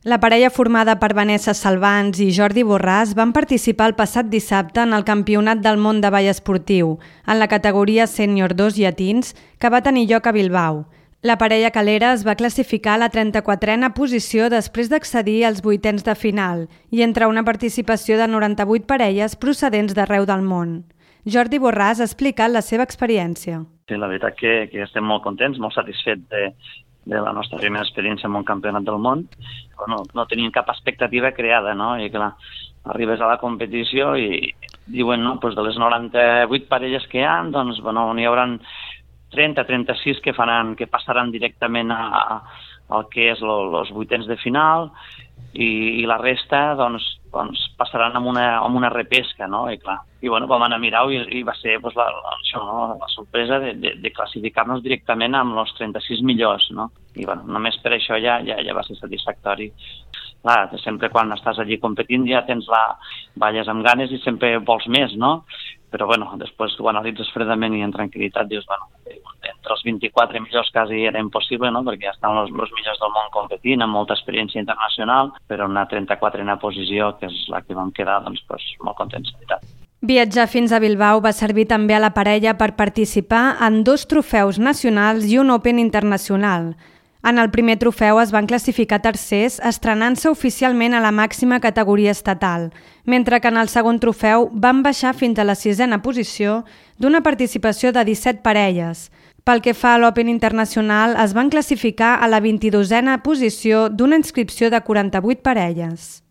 La parella formada per Vanessa Salvans i Jordi Borràs van participar el passat dissabte en el Campionat del món de ball esportiu, en la categoria Sènior 2 llatins, que va tenir lloc a Bilbao. La parella calera es va classificar a la 34a posició després d'accedir als 8ens de final i entre una participació de 98 parelles procedents d'arreu del món. Jordi Borràs ha explicat la seva experiència. Sí, la veritat que estem molt contents, molt satisfets de la nostra primera experiència en un campionat del món. No tenim cap expectativa creada, no? I clar, arribes a la competició i diuen, no, doncs de les 98 parelles que hi ha, doncs, bueno, n'hi haurà 30-36 que passaran directament al que és els 8ens de final i la resta, doncs passaran amb una repesca, no? I clar, bueno, vam anar a mirar i va ser doncs, la sorpresa de classificar-nos directament amb els 36 millors, no? I bueno, només per això ja va ser satisfactori. Clar, sempre quan estàs allí competint ja balles amb ganes i sempre vols més, no? Però bueno, després ho analitzes fredament i en tranquil·litat dius, bueno, entre els 24 millors quasi era impossible, no? Perquè ja estan els millors del món competint, amb molta experiència internacional, però una 34a posició, que és la que vam quedar, doncs molt contents, de veritat. Viatjar fins a Bilbao va servir també a la parella per participar en 2 trofeus nacionals i un Open internacional. En el primer trofeu es van classificar tercers, estrenant-se oficialment a la màxima categoria estatal, mentre que en el segon trofeu van baixar fins a la 6a posició d'una participació de 17 parelles. Pel que fa a l'Open internacional, es van classificar a la 22a posició d'una inscripció de 48 parelles.